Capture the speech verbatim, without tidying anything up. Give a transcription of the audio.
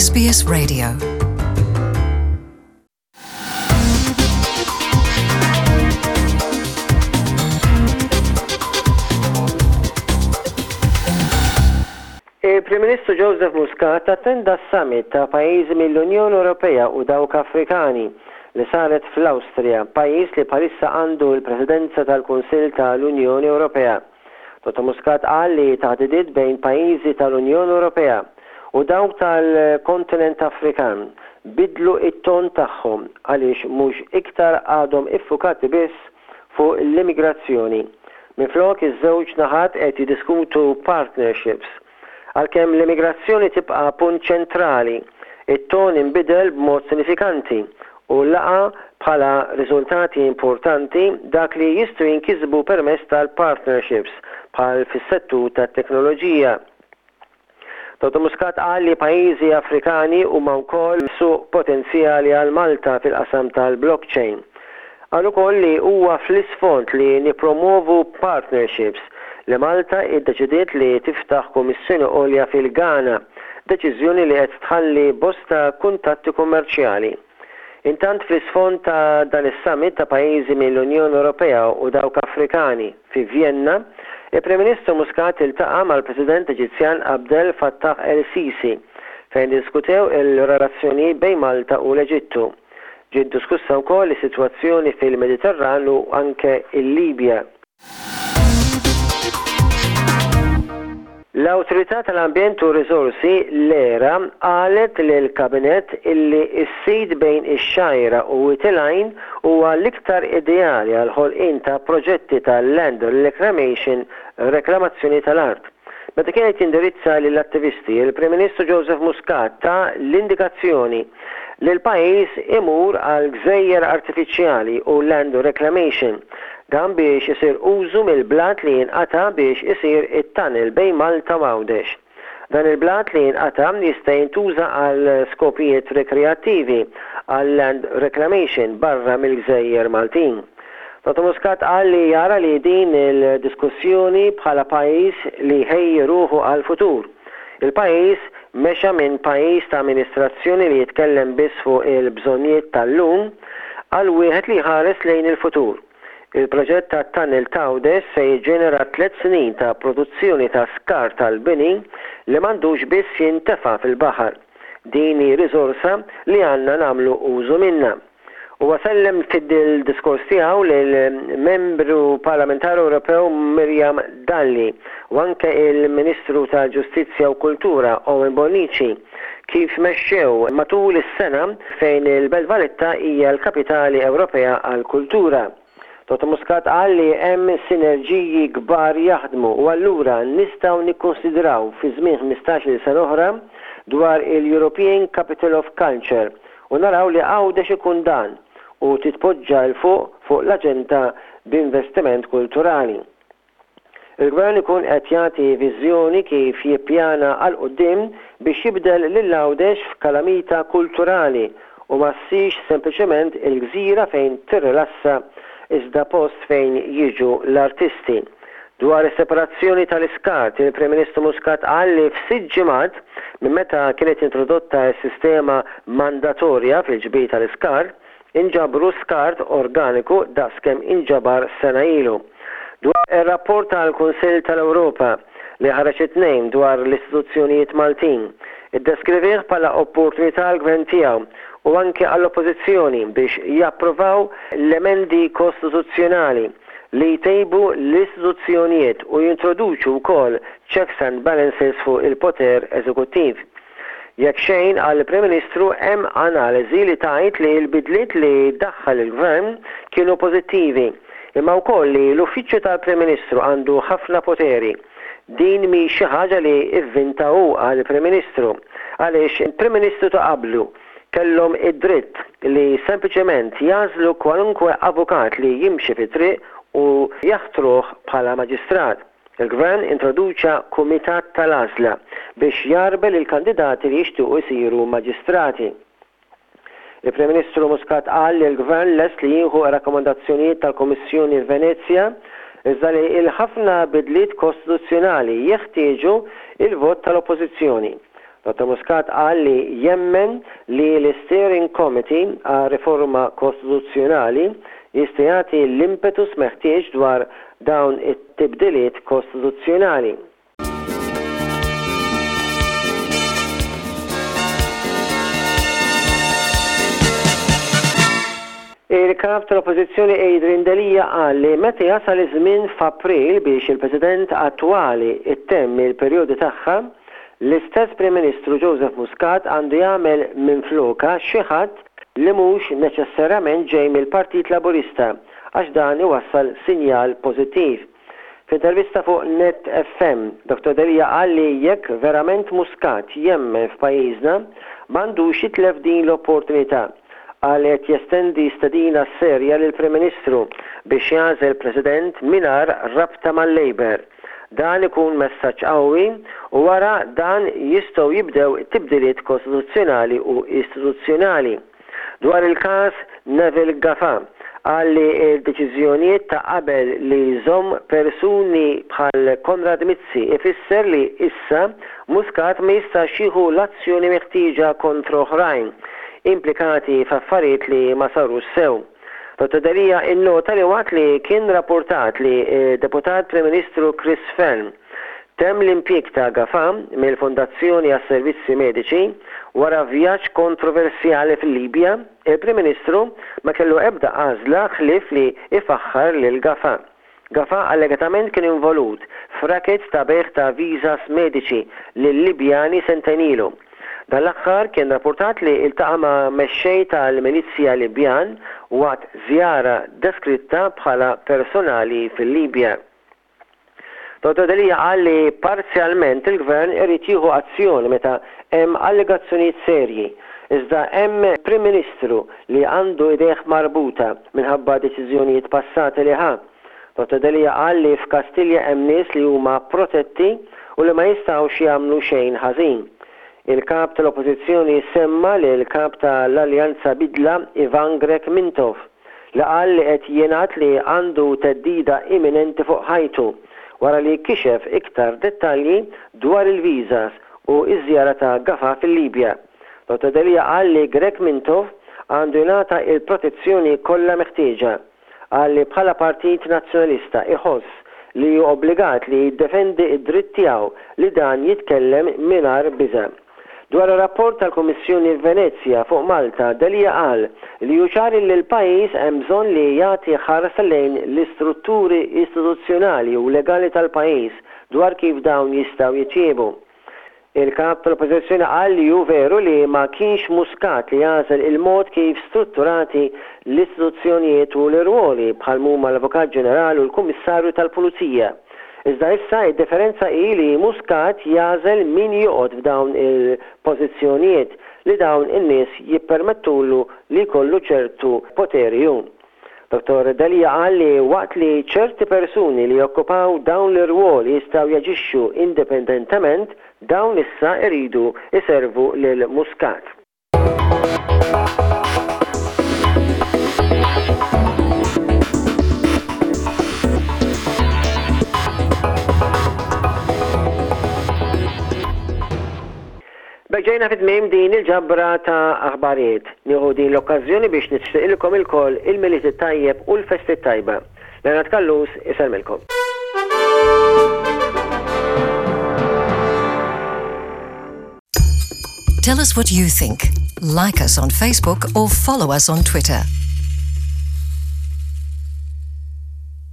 S B S Radio. Il-Prim Ministru Joseph Muscat attenda s-summit ta' pajjiżi mill-Unjoni Ewropea u dawk Afrikani li saret fl-Awstrija, pajjiż li bħalissa għandu l-Presidenza tal-Kunsill tal-Unjoni Ewropea. Dottor Muscat qal li taħdidiet bejn pajjiżi tal-Unjoni Ewropea u dawk tal-kontinent Afrikan bidlu it-ton tagħhom għaliex mhux iktar għadhom iffukati biss fuq l-immigrazzjoni. Minflok, iż-żewġ naħat qed jiddiskutu partnerships. Għalkemm l-immigrazzjoni tibqa' punt ċentrali, it-ton inbidel b'mod sinifikanti u laqa bħala riżultati importanti dak li jistgħu jinkisbu permezz tal-partnerships bħal fis-settur tat-teknoloġija. Dottor Muscat qal li pajjiżi Afrikani huma wkoll suq potenzjali għal Malta fil-qasam tal-blockchain. Qal ukoll li huwa fl-isfond li nipromovu partnerships li Malta iddeċidiet li tiftaħ Kummissjoni Għolja fil-Ghana, deċiżjoni li qed tħalli bosta kuntatti kummerċjali. Intant, fl-isfond ta' dan is-summit ta' pajjiżi mill-Unjoni Ewropea u dawk Afrikani fi Vienna, il-Prim Ministru Muscat iltaqa' mal-President Eġizzjan Abdel Fattah el-Sisi, fejn diskutew il-relazzjoni bejn Malta u l-Eġittu. Ġiet diskussa wkoll is-sitwazzjoni fil-Mediterran u anke il-Libja. L-Awtorità tal-Ambjent u Risorsi, l-ERA, qalet lill-Kabinett illi s-sit bejn ix-Xgħajra u Wied il-Għajn huwa l-iktar ideali għal ħolqien ta' proġetti tal-land reclamation, reklamazzjoni tal-art. Meta kienet jindirizza lill-attivisti, il-Prim Ministru Joseph Muscat ta l-indikazzjoni li l-pajjiż imur għal gżejjer artifiċjali u land reclamation, dan biex isir użu mill-blat li jinqata biex isir it-tunnel bejn Malta u Għawdex. Dan il-blat li jinqata jista' jintuża għal skopijiet rekreattivi, għal land reclamation barra mill-gżejjer Maltin. Dottor Muscat qal li jara li din il-diskussjoni bħala pajjiż li ħejji ruħu għal-futur. Il-pajjiż mexa minn pajjiż ta' amministrazzjoni li jitkellem biss fuq il-bżonnijiet tal-lum għal wieħed li jħares lejn il-futur. Il-proġett ta' tunnel t'Għawdex se jiġġenera tliet snin ta' produzzjoni ta' skart tal-bini li m'għandux biss jintefa' fil-baħar. Din hi riżorsa li għandna nagħmlu użu minnha. Huwa sellem fid-diskors tiegħu lill-Membru Parlamentari Ewropew Miriam Dalli u anke il-Ministru tal-Ġustizzja u Kultura Owen Bonnici kif mexxew matul is-sena fejn il-Belt Valletta hija l-Kapitali Ewropea għall-Kultura. Dottor Muscat qal li hemm sinerġiji kbar jaħdmu u allura nistgħu nikkonsidraw fi żmien ħmistax-il sena oħra dwar il-European Capital of Culture u naraw li Għawdex ikun dan u titpoġġa 'l fuq fuq l-aġenda b'investiment kulturali. Il-Gvern ikun qed jagħti viżjoni kif jippjana għal quddiem biex jibdel lil Għawdex f'kalamita kulturali u ma ssirx sempliċement il-gżira fejn tirrilassa, iżda post fejn jiġu l-artisti. Dwar is-separazzjoni tal-iskart, il-Prim Ministru Muscat qal li f'sitt ġimgħat minn meta kienet introdotta s-sistema mandatorja fil-ġbir tal-iskart, inġabru skart organiku daqskemm inġabar sena ilu. Dwar ir-rapport tal-Kunsill tal-Ewropa li ħareġ it-Tnejn dwar l-istituzzjonijiet Maltin, iddeskrivih bħala opportunità għall-gvern tiegħu u anke għall-Oppożizzjoni biex japprovaw l-emendi kostituzzjonali li jtejbu l-istituzzjonijiet u jintroduċu wkoll checks and balances fuq il-poter eżekuttiv. Jekk xejn, għall-Prim Ministru, hemm analiżi li tgħid li l-bidliet li daħħal il-Gvern kienu pożittivi, imma wkoll li l-Uffiċċju tal-Prim Ministru għandu ħafna poteri. Din mhi xi ħaġa li ivvinta hu, għall-Prim Ministru, għaliex il-Prim Ministru ta' qablu kellhom id-dritt li sempliċement jagħżlu kwalunkwe avukat li jimxi fit-triq u jaħtruh bħala maġistrat. Il-Gvern introduċa kumitat tal-għażla biex jagħrbel il-kandidati li jixtiequ jsiru maġistrati. Il-Prim Ministru Muscat qal li l-Gvern lest li jieħu rakkomandazzjonijiet tal-Kummissjoni Venezja, iżda li il-ħafna bidliet kostituzzjonali jeħtieġu il-vot tal-Oppożizzjoni. Dottor Muscat qal li jemmen li l-Steering Committee għal riforma kostituzzjonali jista' jagħti l-impetus meħtieġ dwar dawn it-tibdiliet kostituzzjonali. Il-kap tal-Oppożizzjoni Adrian Delia qal li meta jasal iż-żmien f'April biex il-President attwali ittemm il-perjodu tagħha, l-istess Prim Ministru Joseph Muscat għandu jagħmel minflokha xi ħadd li mhux neċessarjament ġej mill-Partit Laburista għax dan iwassal sinjal pożittiv. F'intervista fuq Net F M, Dottor Delia qal li jekk verament Muscat jemmen f'pajjiżna, m'għandux jitlef din l-opportunità. Qal qed jestendi stedina serja lill-Prim Ministru biex jagħżel President mingħajr rabta mal-Labour. Dan ikun messaġġ qawwi u wara dan jistgħu jibdew tibdiliet kostituzzjonali u istituzzjonali. Dwar il-każ Neville Gafà, qal li l-deċiżjonijiet ta' qabel li jżomm persuni bħal Konrad Mizzi ifisser li issa Muscat ma jistax jieħu l-azzjoni meħtieġa kontra oħrajn implikati f'affarijiet li ma sarux sew. Dottor Delia innota li waqt li kien rapportat li deputat Prim Ministru Chris Fearne temm l-impjieg ta' Gafà mill-Fondazzjoni għas-Servizzi Mediċi wara vjaġġ kontroversjali fil-Libja, il-Prim Ministru ma kellu ebda għażla ħlief li ifaħħar lil Gafà. Gafà allegatament kien involut f'racket ta' bejgħ ta' visas mediċi lil Libjani sentejn ilu. Dan l-aħħar kien rapportat li iltaqa' ma' mexxej tal-Milizja Libjan waqt żjara deskritta bħala personali fil-Libja. Dottor Delia qal li parzjalment il-gvern irid jieħu azzjoni meta hemm allegazzjonijiet serji, iżda hemm Prim Ministru li għandu idejh marbuta minħabba deċiżjonijiet passati li ħa. Dottor Delia qal li f'Kastilja hemm nies li huma protetti u li ma jistgħux jagħmlu xejn ħażin. Il-kap tal-Oppożizzjoni semma li l-kap tal-Alleanza Bidla Ivan Grech Mintoff li qal li qed jingħad li għandu theddida imminenti fuq ħajtu wara li kixef iktar dettalji dwar il-visas u iż-żjara ta' Gafà fil-Libja. Dottor Delia qal li Grech Mintoff għandu jingħata il-protezzjoni kollha meħtieġa. Qal li bħala Partit Nazzjonalista iħoss li hu obbligat li jiddefendi id-dritt tiegħu li dan jitkellem mingħajr biża'. Dwar ir-rapport tal-Kummissjoni Venezja fuq Malta, Delia qal li hu ċar li l-pajjiż hemm bżonn li jagħti ħarsa lejn l-istrutturi istituzzjonali u legali tal-pajjiż dwar kif dawn jistgħu jitjiebu. Il-kap tal-Oppożizzjoni qal li hu veru li ma kienx Muscat li jagħżel il-mod kif strutturati l-istituzzjonijiet u l-irwoli bħal huma l-Avukat Ġenerali u l-Kummissarju tal-Pulizija. Iżda issa id-differenza hi li Muscat jagħżel min joqgħod f'dawn il-pożizzjonijiet li dawn in-nies jippermettulu li jkollu ċertu poteri hu. Dottor Delia qal li waqt li ċerti persuni li jokkupaw dawn l-irwoli jistgħu jaġixxu indipendentement, dawn issa iridu iservu lil Muscat. B'hekk ġejna fi tmiem din il-ġabra ta' aħbarijiet. Nieħu din l-okkażjoni biex nixtieqilkom ilkoll il-Milied it-tajjeb u l-festi tajba. Leonard Callus isellmilkom. Tell us what you think. Like us on Facebook or follow us on Twitter.